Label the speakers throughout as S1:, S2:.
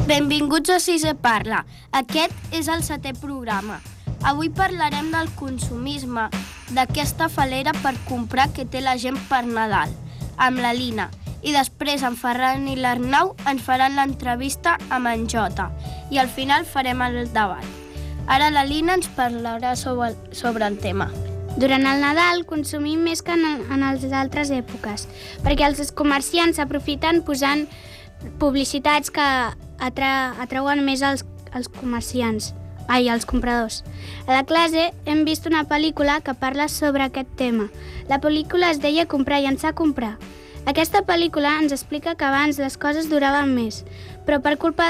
S1: Benvinguts a Sisè Parla. Aquest és el 7è programa. Avui parlarem del consumisme, d'aquesta falera per comprar que té la gent per Nadal, amb la Lina. I després en Ferran i l'Arnau ens faran l'entrevista amb en Jota. I al final farem el debat. Ara la Lina ens parlarà sobre el tema.
S2: Durant el Nadal consumim més que en les altres èpoques, perquè els comerciants s'aprofiten posant publicitats que atrauen més els compradors. A la classe hem vist una pel·lícula que parla sobre aquest tema. La pel·lícula es deia Comprar, llençar, comprar. Aquesta pel·lícula ens explica que abans les coses duraven més, però per culpa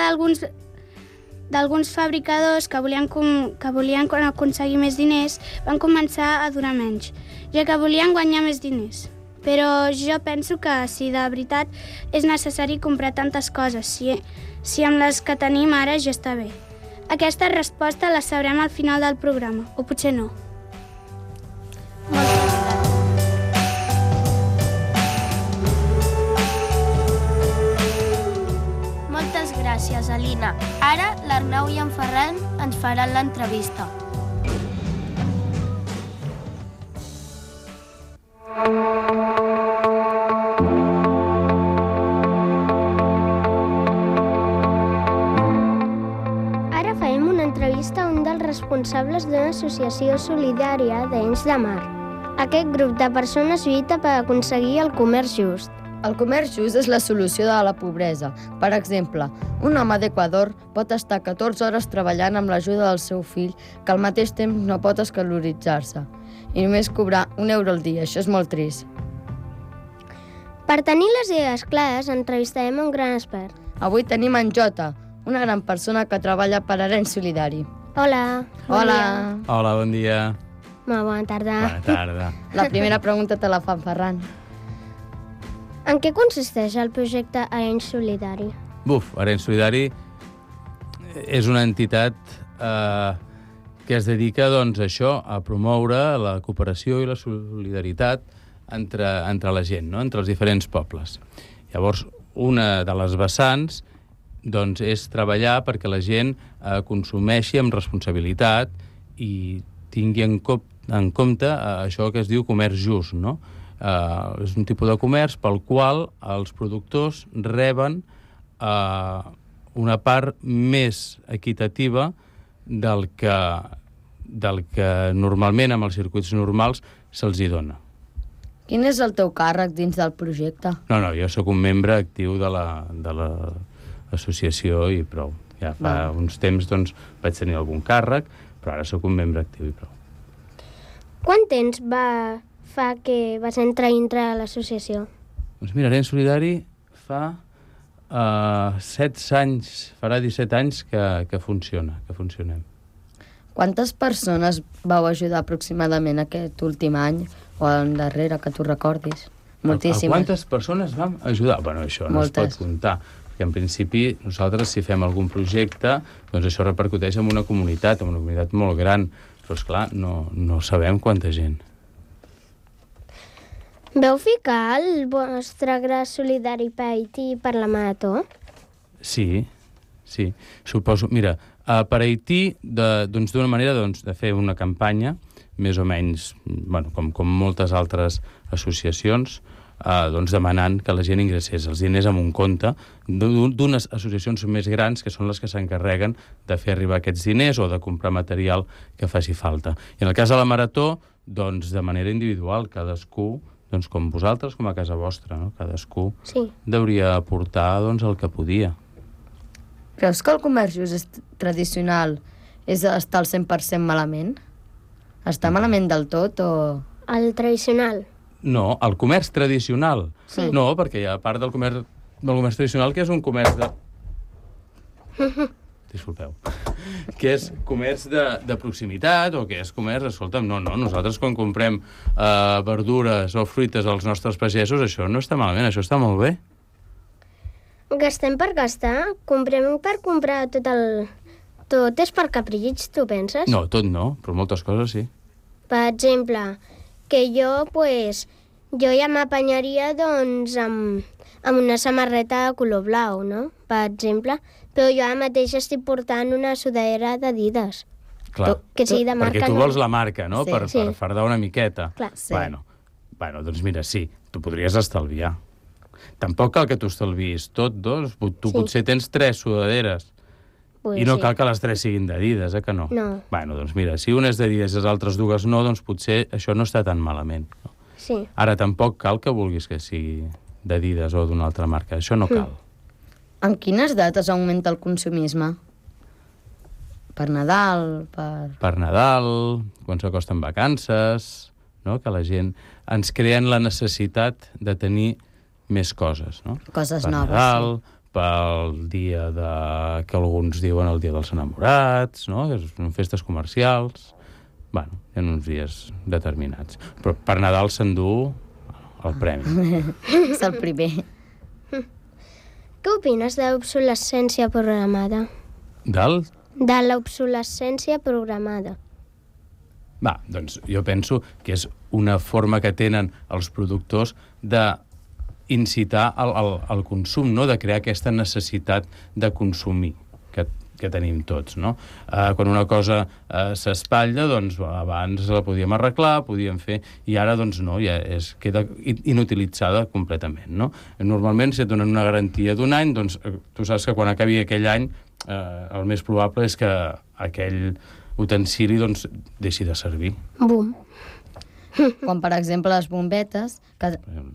S2: d'alguns fabricadors que volien aconseguir més diners, van començar a durar menys, ja que volien guanyar més diners. Però jo penso que si de veritat és necessari comprar tantes coses, si amb les que tenim ara ja està bé. Aquesta resposta la sabrem al final del programa, o potser no.
S1: Moltes gràcies, Alina. Ara l'Arnau i en Ferran ens faran l'entrevista. Ara farem una entrevista a un dels responsables d'una associació solidària d'Arenys de Mar. Aquest grup de persones lluita per aconseguir el comerç just.
S3: El comerç just és la solució de la pobresa. Per exemple, un home d'Equador pot estar 14 hores treballant amb l'ajuda del seu fill, que al mateix temps no pot escaloritzar-se, i només cobrar €1 al dia. Això és molt trist.
S1: Per tenir les idees clares, entrevistarem un gran expert.
S3: Avui tenim en Jota, una gran persona que treballa per Arenys Solidari.
S1: Hola.
S3: Hola.
S4: Hola, bon dia.
S1: Molt bona tarda.
S4: Bona tarda.
S3: La primera pregunta te la fa en Ferran.
S1: En què consisteix el projecte Arenys Solidari?
S4: Arenys Solidari és una entitat que es dedica doncs, a això, a promoure la cooperació i la solidaritat entre la gent, no? Entre els diferents pobles. Llavors, una de les vessants doncs, és treballar perquè la gent consumeixi amb responsabilitat i tingui en compte això que es diu comerç just, no? És un tipus de comerç pel qual els productors reben una part més equitativa del que normalment amb els circuits normals se'ls hi dona.
S3: Quin és el teu càrrec dins del projecte?
S4: No, jo sóc un membre actiu de l'associació i prou. Ja fa uns temps doncs, vaig tenir algun càrrec, però ara sóc un membre actiu i prou.
S1: Quant temps fa que vas entrar dintre de l'associació?
S4: Doncs mira, Arenys Solidari fa 7 anys, farà 17 anys que funciona, que funcionem.
S3: Quantes persones vau ajudar aproximadament aquest últim any o el darrere, que tu recordis? Moltíssimes.
S4: Quantes persones vam ajudar? Bueno, això no es pot comptar. Perquè en principi nosaltres, si fem algun projecte, doncs això repercuteix en una comunitat molt gran. Però, esclar, no sabem quanta gent.
S1: Veu ficar el vostre gra solidari per Haití per la marató?
S4: Sí. Suposo, mira, per Haití, d'una manera de fer una campanya, més o menys, com moltes altres associacions, demanant que la gent ingressés els diners en un compte d'unes associacions més grans que són les que s'encarreguen de fer arribar aquests diners o de comprar material que faci falta. I en el cas de la marató, de manera individual, cadascú, com vosaltres, com a casa vostra, no? Cadascú hauria aportar el que podia.
S3: Creus que el comerç just tradicional està al 100% malament? Està malament del tot o...?
S1: El tradicional?
S4: No, el comerç tradicional.
S1: Sí.
S4: No, perquè hi ha part del comerç tradicional que és un comerç de... Disculpeu. Que és comerç de proximitat o que és comerç... Escolta'm, no, nosaltres quan comprem verdures o fruites als nostres pagesos, això no està malament, això està molt bé.
S1: Gastem per gastar? Comprem per comprar tot és per capritx, tu penses?
S4: No, tot no, però moltes coses sí.
S1: Per exemple, que jo ja m'apanyaria amb una samarreta de color blau, no? Per exemple,
S5: Però jo ara mateix estic portant una sudadera d'Adidas.
S4: Clar,
S5: Que sigui de marca.
S4: perquè tu vols la marca, no?
S3: Sí.
S4: Per fardar una miqueta.
S5: Clar.
S3: Sí.
S4: Bueno, doncs mira, sí, tu podries estalviar. Tampoc cal que tu estalviis tot, doncs. Tu potser tens 3 sudaderes. I no cal que les 3 siguin d'Adidas, que no?
S5: No.
S4: Bueno, doncs mira, si una és d'Adidas i les altres 2 no, doncs potser això no està tan malament. No?
S5: Sí.
S4: Ara tampoc cal que vulguis que sigui d'Adidas o d'una altra marca. Això no cal.
S3: En quines dates augmenta el consumisme? Per Nadal,
S4: Per Nadal, quan s'acosten vacances, no? Que la gent ens creen la necessitat de tenir més coses, no?
S3: Coses
S4: per
S3: noves,
S4: Nadal, pel dia que alguns diuen el dia dels enamorats, no? Que són festes comercials. Bueno, hi ha uns dies determinats. Però per Nadal s'endú el premi.
S3: És el primer.
S5: Què opines de l'obsolescència programada? De l'obsolescència programada.
S4: Va, doncs jo penso que és una forma que tenen els productors d'incitar el consum, no? De crear aquesta necessitat de consumir que tenim tots, no? Quan una cosa s'espatlla, doncs abans la podíem arreglar, podíem fer, i ara doncs no, ja queda inutilitzada completament, no? Normalment, si et donen una garantia d'1 any, doncs tu saps que quan acabi aquell any el més probable és que aquell utensili doncs deixi de servir.
S5: Bum.
S3: Quan, per exemple, les bombetes, que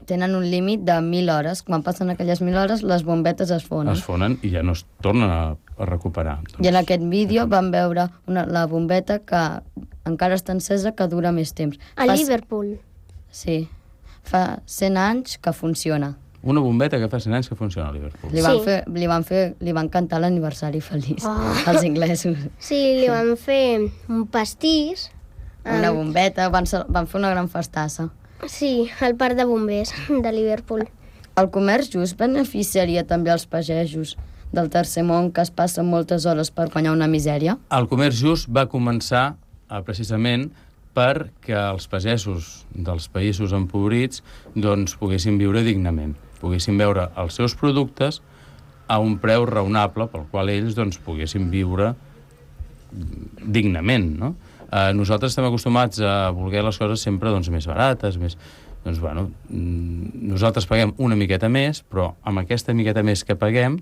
S3: tenen un límit de 1.000 hores, quan passen aquelles 1.000 hores, les bombetes es fonen.
S4: Es fonen i ja no es tornen a recuperar. Doncs...
S3: I en aquest vídeo vam veure la bombeta que encara està encesa, que dura més temps.
S5: A Liverpool.
S3: Sí. Fa 100 anys que funciona.
S4: Una bombeta que fa 100 anys que funciona a Liverpool.
S3: Li van cantar l'aniversari feliç als inglesos.
S5: Sí, li van fer un pastís.
S3: Una bombeta, van fer una gran festassa.
S5: Sí, al parc de bombers de Liverpool.
S3: El comerç just beneficiaria també els pagesos del tercer món que es passen moltes hores per guanyar una misèria?
S4: El comerç just va començar precisament perquè els pagesos dels països empobrits doncs, poguessin viure dignament, poguessin veure els seus productes a un preu raonable pel qual ells doncs, poguessin viure dignament, no? Nosaltres estem acostumats a voler les coses sempre doncs, més barates, més... Doncs, bueno, nosaltres paguem una miqueta més, però amb aquesta miqueta més que paguem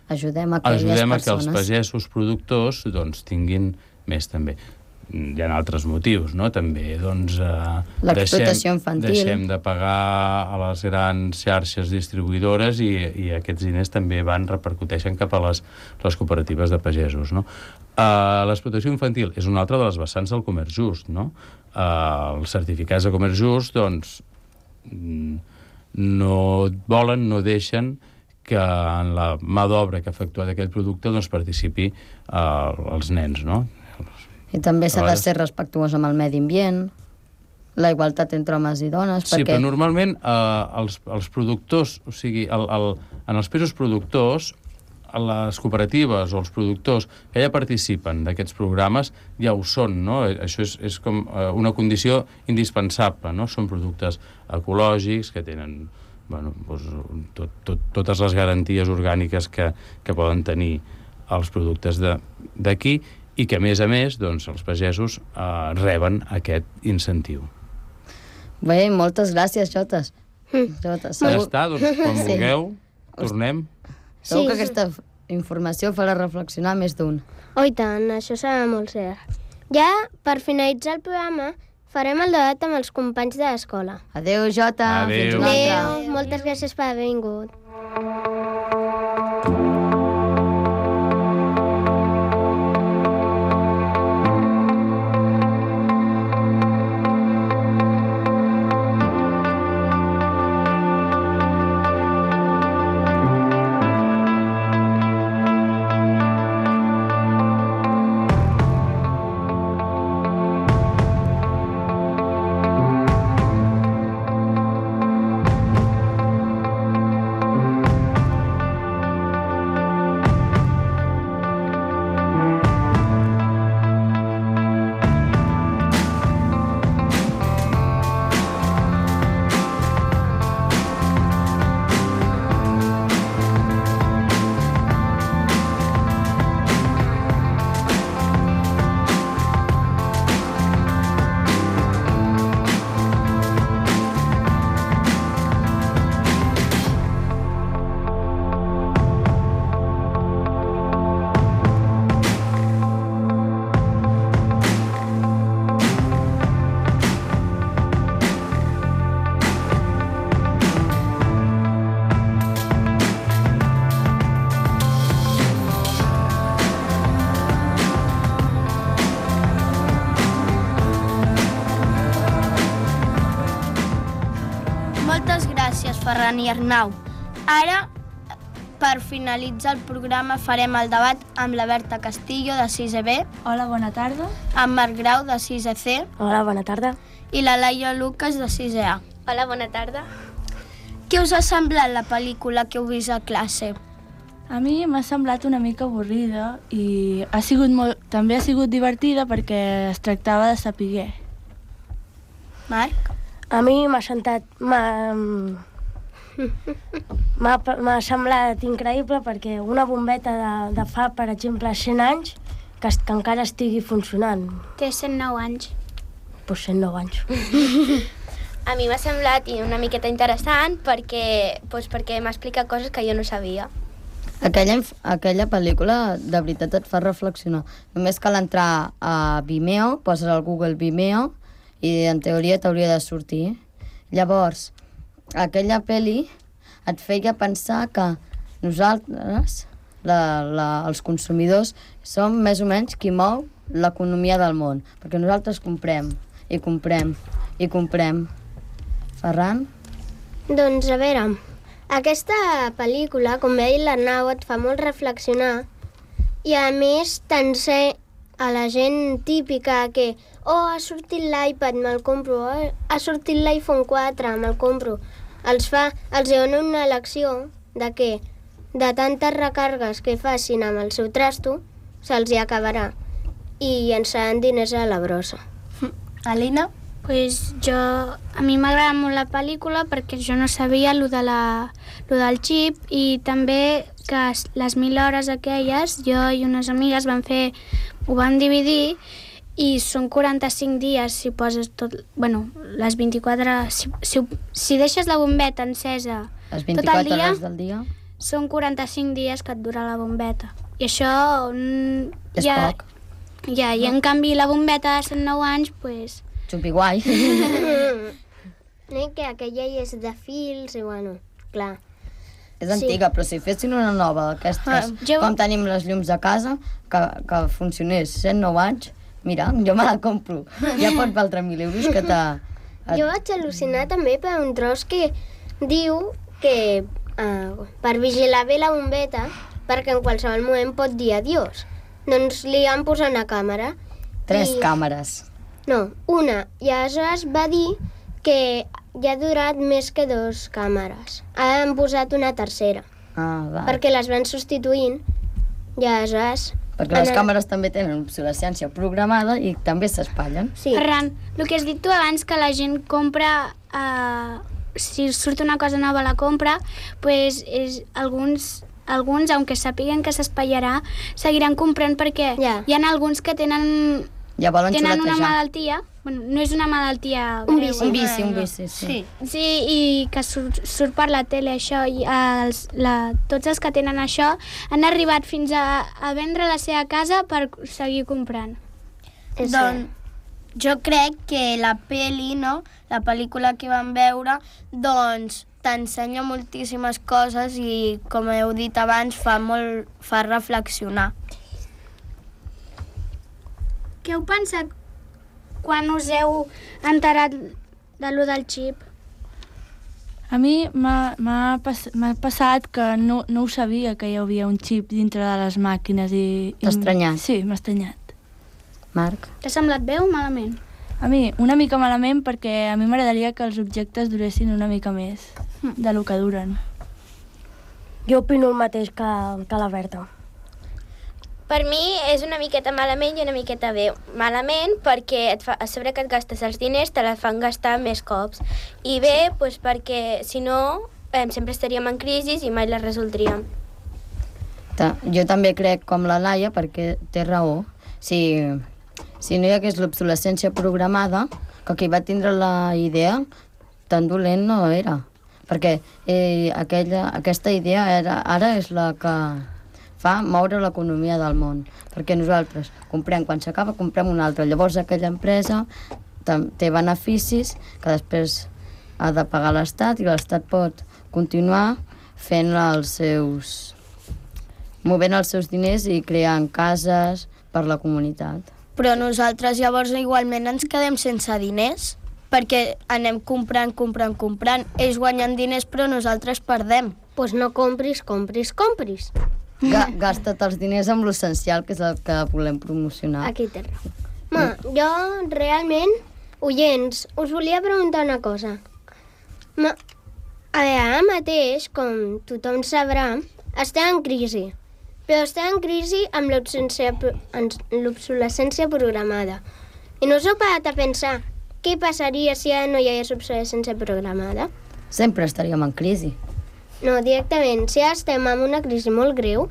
S3: ajudem a
S4: que els pagesos productors doncs, tinguin més també. Hi ha altres motius, no? També, doncs...
S3: l'explotació infantil.
S4: Deixem de pagar a les grans xarxes distribuïdores i aquests diners també repercuteixen cap a les cooperatives de pagesos, no? L'explotació infantil és una altra de les vessants del comerç just, no? Els certificats de comerç just, doncs, no deixen que en la mà d'obra que ha efectuat aquell producte doncs, participi els nens, no?
S3: I també s'ha de ser respectuós amb el medi ambient, la igualtat entre homes i dones,
S4: sí, perquè... però normalment els productors, o sigui, en els països productors, les cooperatives o els productors que ja participen d'aquests programes ja ho són, no? Això és com una condició indispensable, no? Són productes ecològics que tenen bueno, doncs, totes les garanties orgàniques que poden tenir els productes d'aquí i que, a més, doncs, els pagesos reben aquest incentiu.
S3: Bé, moltes gràcies, Jotes.
S4: Ja està, doncs, quan vulgueu, tornem.
S3: Segur que aquesta informació farà reflexionar més d'un.
S5: Oh, i tant, això serà molt cert. Ja, per finalitzar el programa, farem el debat amb els companys de l'escola.
S3: Adéu, Jota.
S4: Adéu.
S5: Adéu. Moltes gràcies per haver vingut.
S1: Ferran i Arnau. Ara, per finalitzar el programa, farem el debat amb la Berta Castillo, de 6è B,
S6: Hola, bona tarda.
S1: amb Marc Grau, de 6è C,
S5: Hola, bona tarda.
S1: i la Laia Lucas, de 6è A.
S5: Hola, bona tarda.
S1: Què us ha semblat la pel·lícula que heu vist a classe?
S6: A mi m'ha semblat una mica avorrida i també ha sigut divertida perquè es tractava de saber.
S1: Marc?
S5: A mi m'ha semblat increïble perquè una bombeta de fa, per exemple, 100 anys, que encara estigui funcionant.
S2: Té 109 anys.
S5: Pues 109 anys.
S7: A mi m'ha semblat una miqueta interessant perquè m'explica coses que jo no sabia.
S3: Aquella pel·lícula de veritat et fa reflexionar. Només cal entrar a Vimeo, poses al Google Vimeo i en teoria t'hauria de sortir. Llavors, aquella pel·li et feia pensar que nosaltres, els consumidors, som més o menys qui mou l'economia del món, perquè nosaltres comprem i comprem i comprem. Ferran?
S5: Doncs, a veure, aquesta pel·lícula, com ha dit l'Arnau, et fa molt reflexionar i, a més, t'ensenya a la gent típica que ha sortit l'iPad, me'l compro, ha sortit l'iPhone 4, me'l compro. Els dona una lecció de que de tantes recargues que facin amb el seu trasto, se'ls hi acabarà i llençaran diners a la brossa.
S1: Alina?
S2: Pues a mi m'agrada molt la pel·lícula perquè jo no sabia lo del xip i també que les 1000 hores aquelles, jo i unes amigues ho vam dividir i són 45 dies si poses tot, les 24, si deixes la bombeta encesa
S3: Les
S2: tot
S3: 24
S2: el dia,
S3: hores del dia?
S2: són 45 dies que et dura la bombeta. I això
S3: És poc.
S2: Ja, i en canvi la bombeta de 109 anys, pues...
S3: Xupi guai.
S5: Que aquella és de fils i, clar.
S3: És antiga, però si fessin una nova d'aquestes, com tenim les llums de casa, que funcionés 109 anys, mira, jo me la compro. Ja pot valdre 1.000 euros que t'ha...
S5: Jo vaig al·lucinar també per un tros que diu que per vigilar bé la bombeta, perquè en qualsevol moment pot dir adiós. Doncs li han posat una càmera.
S3: 3 càmeres.
S5: No, una. I aleshores va dir que ja ha durat més que 2 càmeres. Han posat una tercera.
S3: Va.
S5: Perquè les van substituint i aleshores...
S3: Perquè les càmeres també tenen obsolescència programada i també s'espatllen.
S5: Sí.
S2: Ferran, el que has dit tu abans, que la gent compra... si surt una cosa nova la compra, pues alguns, aunque sapiguen que s'espatllarà, seguiran comprant perquè hi ha alguns que tenen una malaltia, no és una malaltia greu.
S3: Un vici, sí.
S2: Sí, i que surt per la tele això, i tots els que tenen això han arribat fins a vendre la seva casa per seguir comprant.
S1: Doncs jo crec que la pel·li, la pel·lícula que vam veure, doncs t'ensenya moltíssimes coses i, com heu dit abans, fa reflexionar.
S2: Què heu pensat quan us heu enterat de lo del xip?
S6: A mi m'ha passat que no ho sabia, que hi havia un xip dintre de les màquines i...
S3: T'ha estranyat?
S6: Sí, m'ha estranyat.
S3: Marc?
S2: T'ha semblat bé o malament?
S6: A mi, una mica malament, perquè a mi m'agradaria que els objectes duressin una mica més del que duren.
S5: Jo opino el mateix que la Berta.
S7: Per mi és una miqueta malament i una miqueta bé. Malament perquè a sobre que et gastes els diners te la fan gastar més cops. I bé, doncs perquè si no sempre estaríem en crisi i mai la resoldríem.
S3: Jo també crec com la Laia, perquè té raó. Si no hi hagués l'obsolescència programada, que qui va tindre la idea tan dolent no era. Perquè aquesta idea ara és la que fa moure l'economia del món. Perquè nosaltres comprem, quan s'acaba, comprem una altra. Llavors aquella empresa té beneficis que després ha de pagar l'Estat i l'Estat pot continuar fent movent els seus diners i creant cases per la comunitat.
S1: Però nosaltres llavors igualment ens quedem sense diners. perquè anem comprant. Ells guanyen diners, però nosaltres perdem.
S5: Doncs no compris.
S3: Gasta't els diners amb l'essencial, que és el que volem promocionar.
S5: Aquí té raó. Jo, realment, oients, us volia preguntar una cosa. Ara mateix, com tothom sabrà, estem en crisi. Però estem en crisi amb l'obsolescència programada. I no us heu parat a pensar què passaria si ara no hi hagués obsolescència programada?
S3: Sempre estaríem en crisi.
S5: No, directament, si ara estem en una crisi molt greu...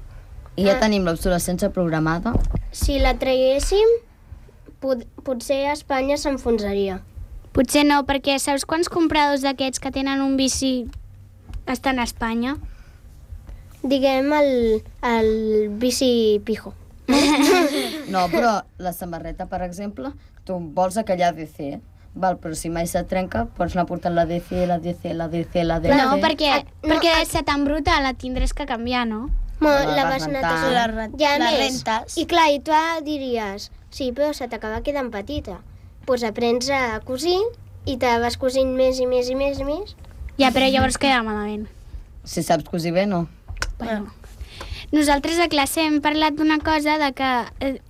S3: I ja tenim l'obsolescència programada.
S5: Si la traguéssim, potser Espanya s'enfonsaria.
S2: Potser no, perquè saps quants compradors d'aquests que tenen un bici estan a Espanya?
S5: Diguem el bici pijo.
S3: No, però la samarreta, per exemple, tu vols aquella ADC, val, però si mai se't trenca, pots anar portant la DC.
S2: No, perquè se t'embruta, la tindràs que canviar, no?
S5: La vas netejar.
S1: La rentes.
S5: I clar, i tu diries, sí, però se t'acaba quedant petita. Doncs aprens a cosir i te vas cosint més i més.
S2: Ja, però llavors queda malament.
S3: Si saps cosir bé, no.
S2: Bueno. Nosaltres a classe hem parlat d'una cosa de que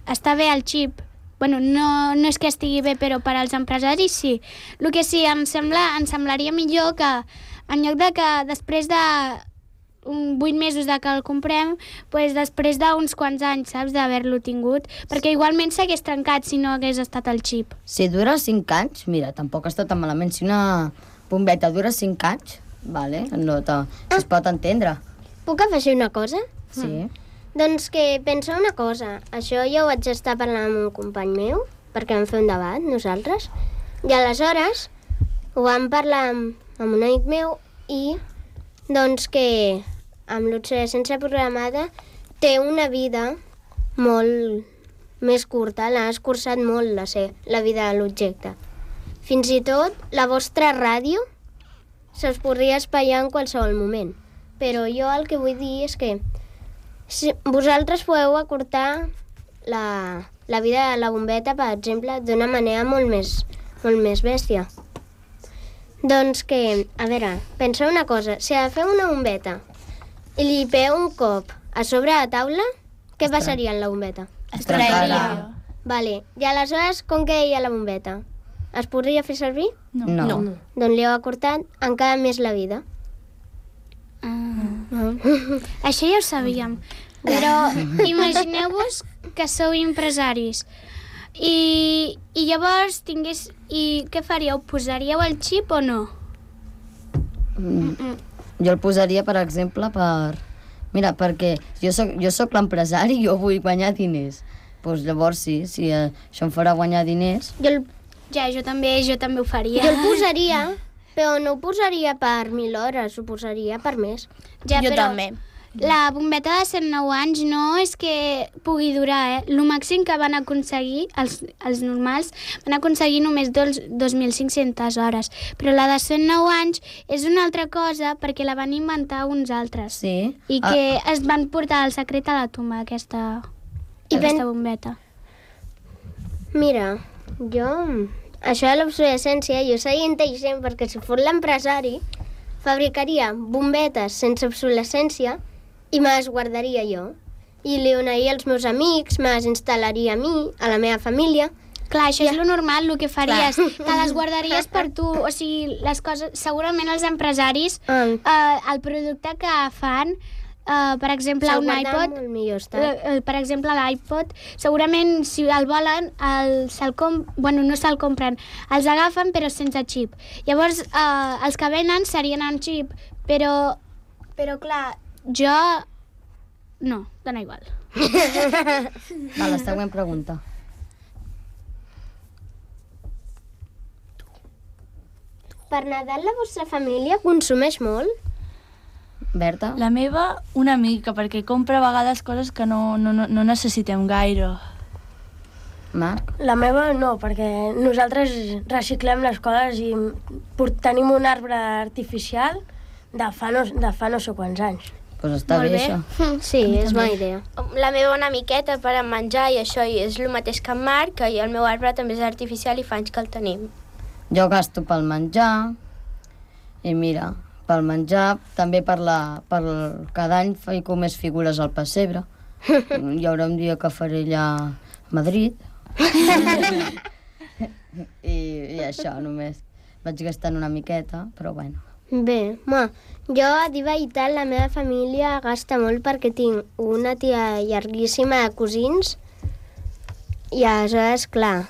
S2: està bé el xip. Bueno, no és que estigui bé, però per als empresaris sí. El que sí, em semblaria millor que en lloc de que després de 8 mesos de que el comprem, doncs després d'uns quants anys, saps, d'haver-lo tingut, perquè igualment s'hagués trencat si no hagués estat el xip.
S3: Si dura 5 anys, mira, tampoc està tan malament. Si una bombeta dura 5 anys, vale, es pot entendre.
S5: Puc afegir una cosa?
S3: Sí.
S5: Doncs que pensa una cosa, això jo ho vaig estar parlant amb un company meu, perquè vam fer un debat, nosaltres, i aleshores ho vam parlar amb un amic meu i doncs que amb l'obsolescència programada té una vida molt més curta, l'ha escurçat molt la vida de l'objecte. Fins i tot la vostra ràdio se'ls podria espaiar en qualsevol moment, però jo el que vull dir és que si vosaltres podeu acortar la vida de la bombeta, per exemple, d'una manera molt més bèstia. Doncs que, a veure, penseu una cosa, si agafeu una bombeta i li pegeu un cop a sobre la taula, què passaria amb la bombeta?
S3: Es trencaria.
S5: Vale, i aleshores com quedaria la bombeta? Es podria fer servir?
S3: No.
S5: Doncs li heu acortat encara més la vida.
S2: Això ja ho sabíem, però imagineu-vos que sou empresaris i llavors i què faríeu? Posaríeu el xip o no?
S3: Jo el posaria, per exemple, Mira, perquè jo soc l'empresari i jo vull guanyar diners. Doncs llavors sí, si això em farà guanyar diners...
S2: Jo també ho faria.
S5: Jo el posaria, però no ho posaria per 1.000 hores, ho posaria per més.
S2: Ja,
S1: Jo
S2: però
S1: també.
S2: La bombeta de 109 anys no és que pugui durar, El màxim que van aconseguir, els normals, van aconseguir només 2.500 hores. Però la de 109 anys és una altra cosa perquè la van inventar uns altres.
S3: Sí.
S2: I que es van portar el secret a la tumba, aquesta bombeta.
S5: Mira, això de l'obsolescència, jo seria intel·ligent perquè si fos l'empresari fabricaria bombetes sense obsolescència i me les guardaria jo. I li donaria als meus amics, me les instal·laria a mi, a la meva família.
S2: Clar, això és lo normal, el que faries. Te les guardaries per tu. O sigui, les coses... Segurament els empresaris, el producte que fan, per exemple, un iPod... Per exemple, l'iPod, segurament, si el volen, no se'l compren. Els agafen, però sense xip. Llavors, els que venen serien amb xip, però clar, jo... No, dona igual.
S3: Va, la següent pregunta.
S5: Per Nadal la vostra família consumeix molt?
S3: Berta?
S6: La meva, una mica, perquè compra a vegades coses que no necessitem gaire.
S3: Marc?
S8: La meva no, perquè nosaltres reciclem les coses i tenim un arbre artificial de fa no sé quants anys.
S3: Doncs està bé, això.
S5: Sí, és bona idea.
S7: La meva una miqueta per a menjar i això, i és el mateix que en Marc, i el meu arbre també és artificial i fa anys que el tenim.
S3: Jo gasto pel menjar, i mira, pel menjar, també cada any fico més figures al pessebre. Hi haurà un dia que faré allà a Madrid. I això, només. Vaig gastant una miqueta, però bueno.
S5: Bé, jo a dir veritat, la meva família gasta molt perquè tinc una tia llarguíssima de cosins i aleshores, clar,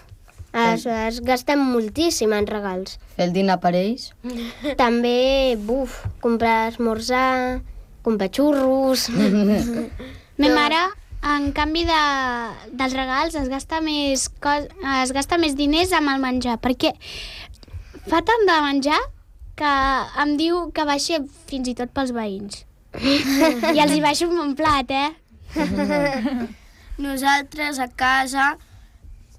S5: aleshores gasten moltíssim en regals.
S3: Fer el dinar per ells?
S5: També, comprar esmorzar, comprar xurros...
S2: Ma mare, en canvi dels regals, es gasta més diners amb el menjar, perquè fa tant de menjar que em diu que baixa fins i tot pels veïns. I els hi baixo un bon plat,
S1: Nosaltres a casa,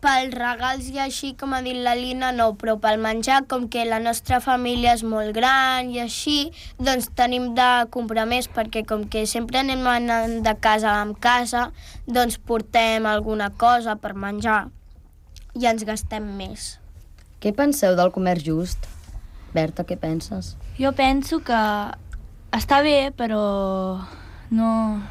S1: pels regals i així, com ha dit la Lina, no, però pel menjar, com que la nostra família és molt gran i així, doncs tenim de comprar més, perquè com que sempre anem anant de casa en casa, doncs portem alguna cosa per menjar i ens gastem més.
S3: Què penseu del comerç just? Berta, què penses?
S6: Jo penso que està bé, però no...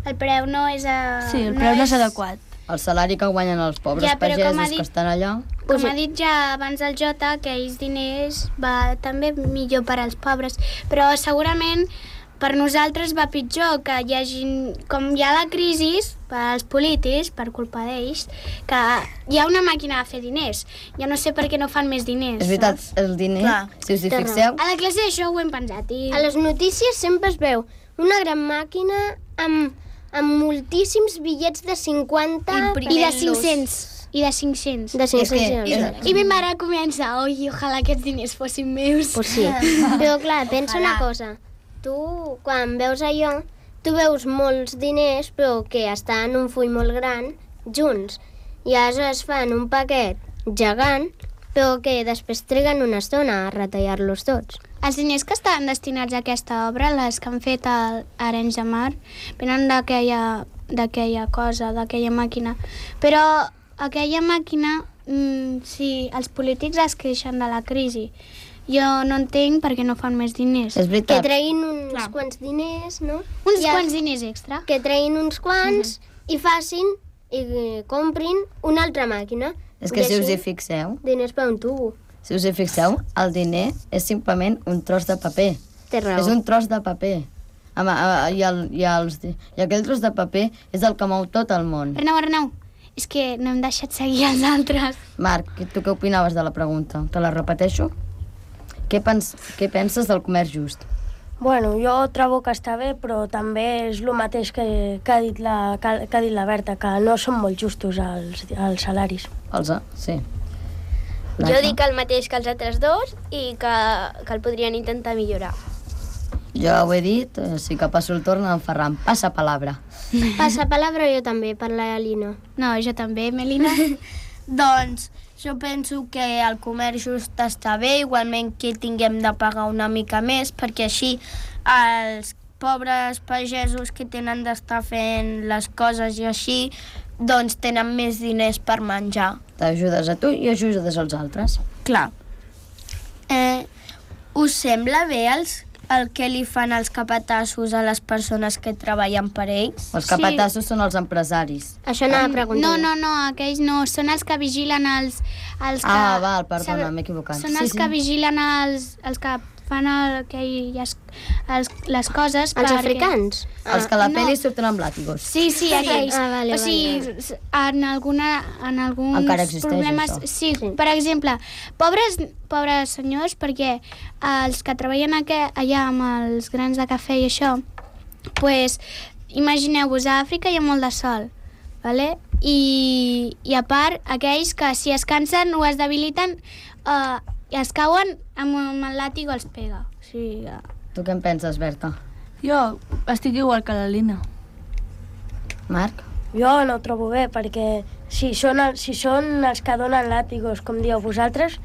S2: El preu no és...
S6: Sí, el preu no és adequat.
S3: El salari que guanyen els pobres pagesos que estan allà...
S2: Com ha dit ja abans el Jota, que aquells diners va també millor per als pobres, però segurament per nosaltres va pitjor, que hi hagi, com hi ha la crisi, per als polítics, per culpa d'ells, que hi ha una màquina de fer diners. Jo no sé per què no fan més diners.
S3: És veritat, el diner, si us hi fixeu...
S2: A la classe d'això ho hem pensat.
S5: A les notícies sempre es veu una gran màquina amb moltíssims bitllets de 50
S2: i de 500. I de 500.
S5: De 500.
S2: I ma mare comença, ojalà aquests diners fossin meus.
S5: Pues sí. Però clar, pensa una cosa. Tu, quan veus allò, tu veus molts diners, però que estan en un full molt gran, junts. I aleshores fan un paquet gegant, però que després triguen una estona a retallar-los tots.
S2: Els diners que estan destinats a aquesta obra, les que han fet a Arenys de Mar, venen d'aquella cosa, d'aquella màquina. Però aquella màquina, si els polítics es queixen de la crisi, jo no entenc per què no fan més diners.
S3: És veritat.
S5: Que treguin uns quants diners, no?
S2: Quants diners extra.
S5: Que treguin uns quants i facin i comprin una altra màquina.
S3: És que si us hi fixeu...
S5: Diners per un tubo.
S3: Si us hi fixeu, el diner és simplement un tros de paper.
S5: Té raó.
S3: És un tros de paper. I aquell tros de paper és el que mou tot el món.
S2: Arnau, és que no hem deixat seguir els altres.
S3: Marc, tu què opinaves de la pregunta? Te la repeteixo? Què penses del comerç just?
S8: Bueno, jo trobo que està bé, però també és el mateix que ha dit la Berta, que no són molt justos els salaris.
S3: Sí.
S7: Jo dic el mateix que els altres dos i que el podrien intentar millorar.
S3: Jo ho he dit, sí que passo el torn en Ferran. Passa palabra.
S5: Passa palabra jo també, per la Lina.
S2: No, jo també, Melina.
S1: Doncs jo penso que el comerç just està bé, igualment que tinguem de pagar una mica més, perquè així els pobres pagesos que tenen d'estar fent les coses i així, doncs tenen més diners per menjar.
S3: T'ajudes a tu i ajudes als altres.
S1: Clar. Us sembla bé el que li fan els capatassos a les persones que treballen per ells?
S3: Els capatassos són els empresaris.
S5: Això anava a preguntar.
S2: No, aquells no, són els que vigilen els que...
S3: Val, perdona, m'he equivocat.
S2: Són els que vigilen els que fan les coses
S5: Els africans?
S3: Els que a la pel·li surten amb làtigos.
S2: Sí, aquells.
S5: Vale,
S2: o sigui, en alguns
S3: encara existeix
S2: problemes...
S3: això.
S2: Sí, per exemple, pobres senyors, perquè els que treballen allà amb els grans de cafè i això, pues, imagineu-vos, a Àfrica hi ha molt de sol, vale? I a part, aquells que si es cansen o es debiliten, i es cauen amb el làtigo els pega. O sigui,
S3: Tu què en penses, Berta?
S6: Jo estic igual que la Lina.
S3: Marc?
S8: Jo no ho trobo bé, perquè si són els que donen làtigos, com dieu vosaltres,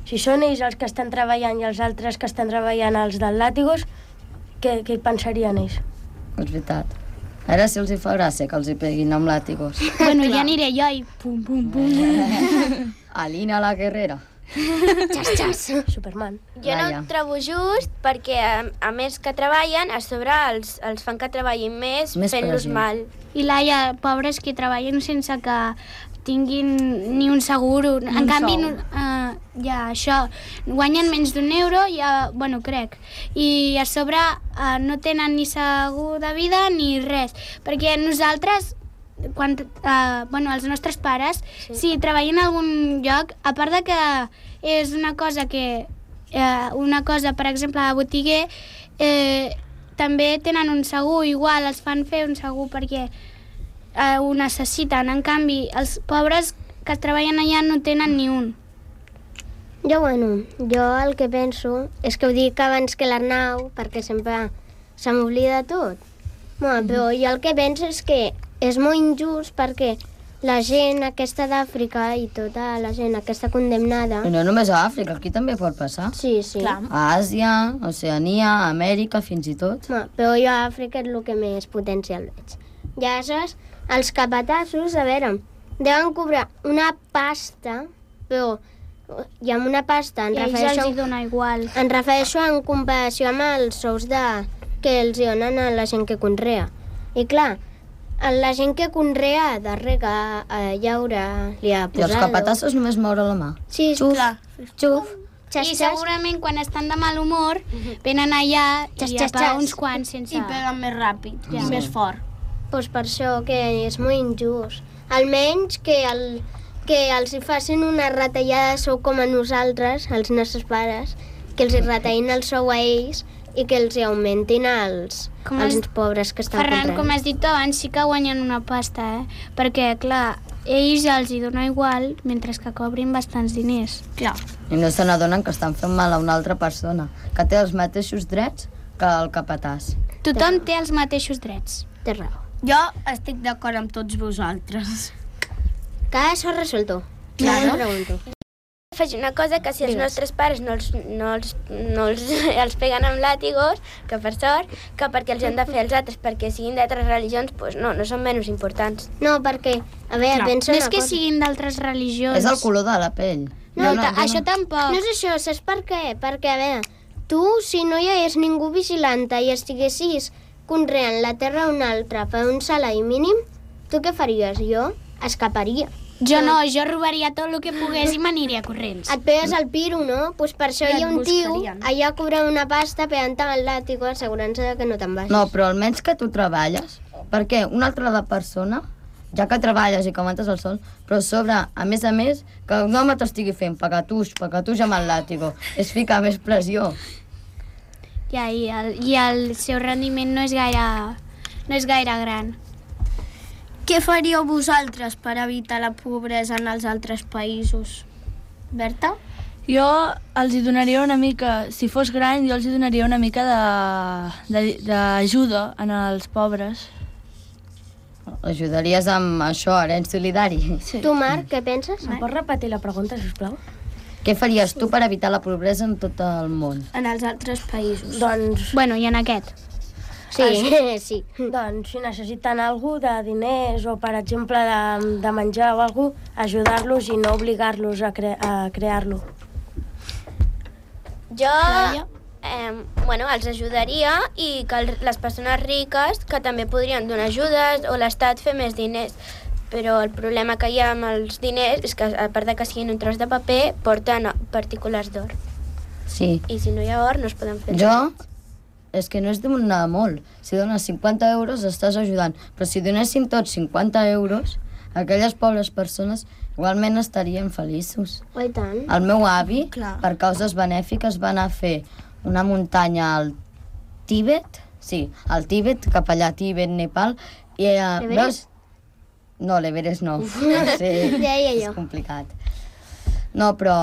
S8: si són ells els que estan treballant i els altres que estan treballant els dels làtigos, què pensarien ells?
S3: És veritat. Ara si els hi fa gràcia que els hi peguin amb làtigos.
S2: bueno, ja aniré jo i pum, pum, pum.
S3: Alina la guerrera.
S5: Xas, xas.
S8: Superman.
S7: Jo no ho trobo just perquè, a més que treballen, a sobre els fan que treballin més fent-los
S3: pressió.
S7: mal.
S2: I Laia, pobres que treballen sense que tinguin ni un seguro. En canvi, ja, això, guanyen menys d'€1, ja, bueno, crec. I a sobre no tenen ni segur de vida ni res. Perquè nosaltres, els nostres pares, si treballen en algun lloc, a part de que és una cosa, per exemple, a botiguer, també tenen un segur, igual els fan fer un segur perquè ho necessiten. En canvi, els pobres que treballen allà no tenen ni un.
S5: Jo el que penso és que ho dic abans que l'Arnau, perquè sempre se m'oblida tot. Però jo el que penso és que és molt injust perquè la gent aquesta d'Àfrica i tota la gent aquesta condemnada...
S3: I no només a Àfrica, aquí també pot passar.
S5: Sí.
S2: Clar.
S3: A Àsia, Oceania, Amèrica, fins i tot.
S5: Però jo a Àfrica és el que més potencial veig. Ja saps, els capatassos, a veure, deuen cobrar una pasta, però i amb una pasta
S2: I a ells els hi dona igual.
S5: em refereixo en comparació amb els sous que els donen a la gent que conrea. I clar, la gent que conrea ha de regar, llaure, li ha
S3: I els
S5: posat...
S3: capatassos només moure la mà.
S5: Sí,
S2: Clar.
S5: xuf, xas,
S2: I
S5: xas.
S2: segurament quan estan de mal humor venen allà
S5: Xas,
S2: i
S5: xas,
S2: a
S5: xas.
S2: uns quants sense...
S1: I peguen més ràpid,
S2: Ja.
S1: més fort.
S5: Doncs per això que és molt injust. Almenys que els hi facin una retallada de sou com a nosaltres, els nostres pares, que els hi retallin el sou a ells i que els hi augmentin els pobres que estan
S2: Ferran, com
S5: comprant.
S2: has dit abans, sí que guanyen una pasta, Perquè, clar, ells els hi dona igual mentre que cobrin bastants diners.
S1: Clar.
S3: I no se n'adonen que estan fent mal a una altra persona, que té els mateixos drets que el capatàs.
S2: Tothom té els mateixos drets.
S5: Té raó.
S1: Jo estic d'acord amb tots vosaltres.
S5: Que això resolto.
S1: Claro.
S5: Pregunto.
S7: Faig una cosa que si els
S5: Digues.
S7: nostres pares no els peguen amb làtigos, que per sort, que perquè els han de fer els altres, perquè siguin d'altres religions, doncs no són menys importants.
S5: No, perquè, a veure, pensa
S2: No
S5: una
S2: és que
S5: cosa.
S2: siguin d'altres religions.
S3: És el color de la pell.
S5: No,
S2: Això tampoc.
S5: No és això, saps per què? Perquè, a veure, tu, si no hi hagués ningú vigilant-te i estiguessis conreant la terra a un altre per un salari mínim, tu què faries? Jo escaparia.
S2: Jo no, jo robaria tot el que pogués i m'aniria corrents.
S5: Et pegues el piro, no? Doncs per això
S1: I
S5: hi ha
S1: et
S5: un tio
S1: buscarien.
S5: allà cobrant una pasta pegant-te amb el làtigo, assegurant-se que no te'n vagis.
S3: No, però almenys que tu treballes, perquè una altra de persona, ja que treballes i que aguantes el sol, però a sobre, a més, que un home t'estigui fent pacatús amb el làtigo, és ficar més pressió.
S2: Ja, i el seu rendiment no és gaire gran.
S1: Què faríeu vosaltres per evitar la pobresa en els altres països? Berta?
S6: Jo els hi donaria una mica, si fos gran, jo els hi donaria una mica d'ajuda en els pobres.
S3: Ajudaries amb això, arenys solidari.
S6: Sí.
S5: Tu, Marc, què penses?
S8: Em pots repetir la pregunta, sisplau?
S3: Què faries tu per evitar la pobresa en tot el món?
S1: En els altres països.
S8: Doncs,
S2: Bueno, i en aquest?
S5: Sí, sí.
S8: doncs si necessiten algú de diners o, per exemple, de menjar o alguna cosa, ajudar-los i no obligar-los a crear-lo.
S7: Jo, els ajudaria i que les persones riques que també podrien donar ajudes o l'Estat fer més diners. Però el problema que hi ha amb els diners és que, a part de que siguin un tros de paper, porten partícules d'or.
S3: Sí.
S7: I si no hi ha or, no es poden fer.
S3: Jo, és que no és donar molt. Si dones 50 euros, estàs ajudant. Però si donéssim tots 50 euros, aquelles pobres persones igualment estarien feliços.
S5: Oh, i tant.
S3: El meu avi,
S1: Clar.
S3: per causes benèfiques, va anar a fer una muntanya al Tíbet, sí, al Tíbet, cap allà, Tíbet, Nepal, i
S5: L'Everest?
S3: No, l'Everest no. Sí,
S5: Deia
S3: és
S5: jo.
S3: complicat. No, però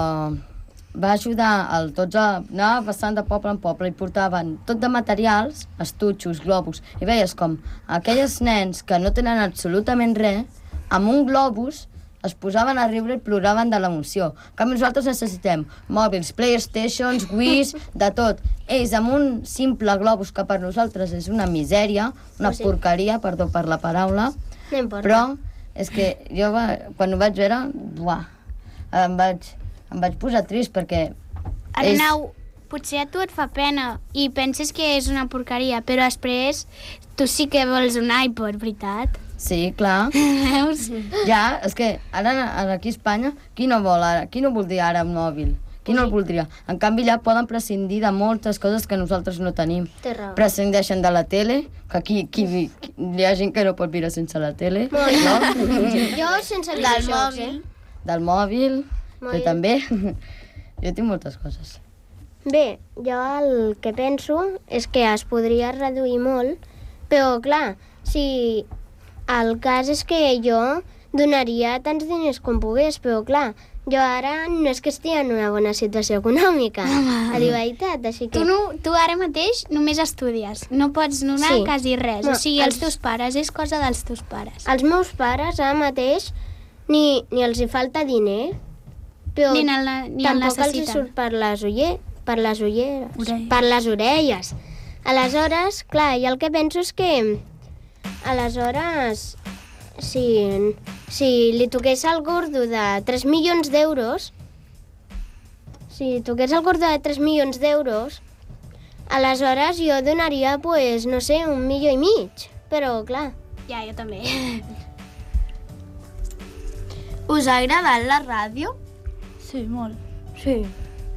S3: va ajudar anava passant de poble en poble i portaven tot de materials, estutxos, globus, i veies com aquells nens que no tenen absolutament res, amb un globus es posaven a riure i ploraven de l'emoció. En canvi, nosaltres necessitem mòbils, Playstations, Wiis, de tot. Ells, amb un simple globus que per nosaltres és una misèria, una porqueria, perdó per la paraula,
S5: No importa.
S3: però és que jo quan ho vaig veure, buah, em vaig em vaig posar trist perquè...
S2: Arnau, potser a tu et fa pena i penses que és una porqueria, però després tu sí que vols un iPod, veritat?
S3: Sí, clar.
S2: Veus?
S3: Ja, és que ara aquí a Espanya, qui no voldria ara un mòbil? Qui no el voldria? En canvi, ja poden prescindir de moltes coses que nosaltres no tenim.
S5: Té raó.
S3: Prescindeixen de la tele, que aquí hi ha gent que no pot viure sense la tele.
S5: No? Jo sense
S1: Del
S5: videojocs,
S1: mòbil.
S3: Del mòbil,
S5: Molt
S3: però
S5: bé.
S3: també. Jo tinc moltes coses.
S5: Bé, jo el que penso és que es podria reduir molt, però clar, si el cas és que jo donaria tants diners com pogués, però clar, jo ara no és que estigui en una bona situació econòmica, a dir veritat, així que...
S2: Tu ara mateix només estudies, no pots donar
S5: Sí.
S2: quasi res.
S5: No,
S2: O sigui, els
S5: els-
S2: teus pares, és cosa dels teus pares.
S5: Els meus pares ara mateix ni els hi falta diner, però
S2: Ni el
S5: tampoc els hi
S2: necessiten.
S5: surt per les ulleres,
S6: Orelles.
S5: per les orelles. Aleshores, clar, jo el que penso és que aleshores si li toqués al gordo de 3 milions d'euros, si toqués el gordo de 3 milions d'euros, aleshores jo donaria, pues, no sé, 1,5 milions, però clar.
S2: Ja, jo també.
S1: Us ha agradat la ràdio?
S6: Sí, molt.
S8: Sí.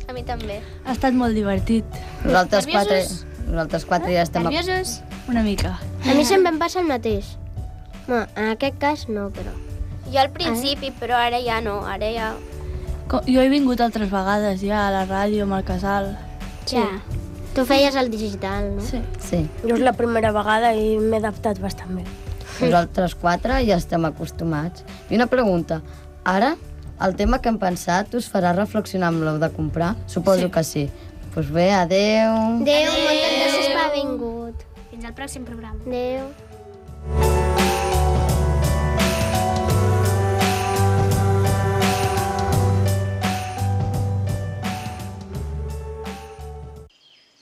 S7: A mi també.
S6: Ha estat molt divertit.
S3: Nosaltres
S2: Nerviosos?
S3: quatre ja estem...
S2: Nerviosos?
S6: Una mica.
S5: A mi sempre em passa el mateix. No, en aquest cas no, però...
S7: Jo al principi, però ara ja no, ara ja...
S6: Jo he vingut altres vegades ja a la ràdio, amb el casal.
S5: Sí. Tu feies el digital, no?
S6: Sí.
S3: Sí.
S8: Jo és la primera vegada i m'he adaptat bastant bé.
S3: Nosaltres quatre ja estem acostumats. I una pregunta. Ara, el tema que hem pensat us farà reflexionar amb lo de comprar? Suposo que sí. Doncs bé, adeu.
S5: Adéu, moltes gràcies per haver vingut.
S2: Fins al pròxim programa.
S5: Adéu.